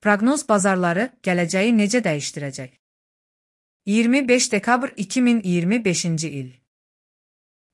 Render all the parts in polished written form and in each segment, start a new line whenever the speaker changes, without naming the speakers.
Proqnoz bazarları gələcəyi necə dəyişdirəcək? 25 dekabr 2025-ci il.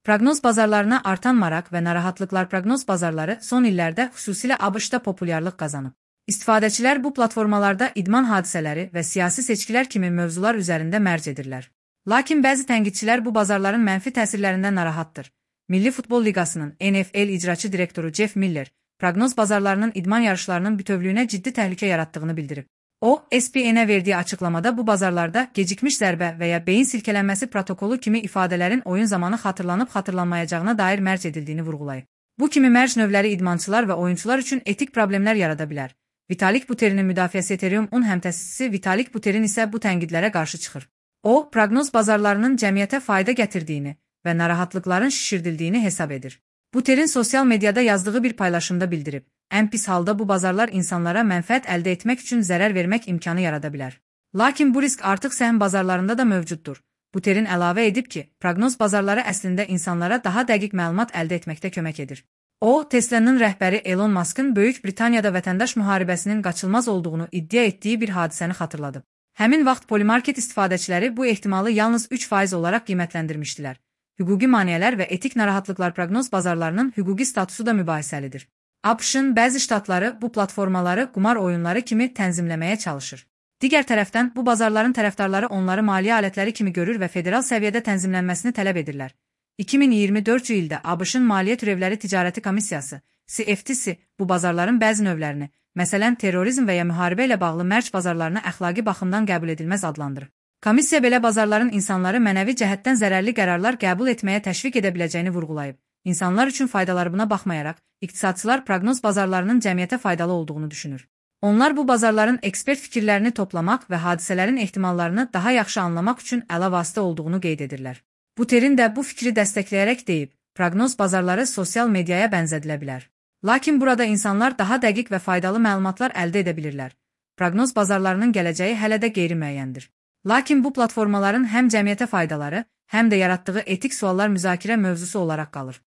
Proqnoz bazarlarına artan maraq və narahatlıqlar. Proqnoz bazarları son illərdə xüsusilə ABŞ-da populyarlıq qazanıb. İstifadəçilər bu platformalarda idman hadisələri və siyasi seçkilər kimi mövzular üzərində mərc edirlər. Lakin bəzi tənqidçilər bu bazarların mənfi təsirlərindən narahatdır. Milli Futbol Liqasının NFL icraçı direktoru Jeff Miller, proqnoz bazarlarının idman yarışlarının bütövlüyünə ciddi təhlükə yaratdığını bildirib. O, ESPN-ə verdiyi açıqlamada bu bazarlarda gecikmiş zərbə və ya beyin silkələnməsi protokolu kimi ifadələrin oyun zamanı xatırlanıb-xatırlanmayacağına dair mərc edildiyini vurğulayıb. Bu kimi mərc növləri idmançılar və oyunçular üçün etik problemlər yarada bilər. Vitalik Buterin'in müdafiəsi Ethereum-un həmtəsisi Vitalik Buterin isə bu tənqidlərə qarşı çıxır. O, proqnoz bazarlarının cəmiyyətə fayda gətirdiyini və narahatlıqların şişirdildiyini hesab edir. Buterin sosial mediada yazdığı bir paylaşımda bildirib, ən pis halda bu bazarlar insanlara mənfəət əldə etmək üçün zərər vermək imkanı yarada bilər. Lakin bu risk artıq səhm bazarlarında da mövcuddur. Buterin əlavə edib ki, proqnoz bazarları əslində insanlara daha dəqiq məlumat əldə etməkdə kömək edir. O, Tesla'nın rəhbəri Elon Musk'ın Böyük Britaniyada vətəndaş müharibəsinin qaçılmaz olduğunu iddia etdiyi bir hadisəni xatırladıb. Həmin vaxt polimarket istifadəçiləri bu ehtimalı yalnız 3% olaraq qiymətləndirmişdilər. Hüquqi maneələr və etik narahatlıqlar. Proqnoz bazarlarının hüquqi statusu da mübahisəlidir. ABŞ-ın bəzi ştatları bu platformaları qumar oyunları kimi tənzimləməyə çalışır. Digər tərəfdən, bu bazarların tərəfdarları onları maliyyə alətləri kimi görür və federal səviyyədə tənzimlənməsini tələb edirlər. 2024-cü ildə ABŞ-ın Maliyyə Türevləri Ticarəti Komissiyası, CFTC, bu bazarların bəzi növlərini, məsələn, terrorizm və ya müharibə ilə bağlı mərc bazarlarını əxlaqi baxımdan qəbul edilməz adlandırır. Komissiya belə bazarların insanları mənəvi cəhətdən zərərli qərarlar qəbul etməyə təşviq edə biləcəyini vurğulayıb. İnsanlar üçün faydaları buna baxmayaraq, iqtisadçılar proqnoz bazarlarının cəmiyyətə faydalı olduğunu düşünür. Onlar bu bazarların ekspert fikirlərini toplamaq və hadisələrin ehtimallarını daha yaxşı anlamaq üçün əla vasitə olduğunu qeyd edirlər. Buterin də bu fikri dəstəkləyərək deyib, proqnoz bazarları sosial mediaya bənzədilə bilər. Lakin burada insanlar daha dəqiq və faydalı məlumatlar əldə edə bilirlər. Proqnoz bazarlarının gələcəyi hələ də qeyri-müəyyəndir. Lakin bu platformaların həm cəmiyyətə faydaları, həm də yaratdığı etik suallar müzakirə mövzusu olaraq qalır.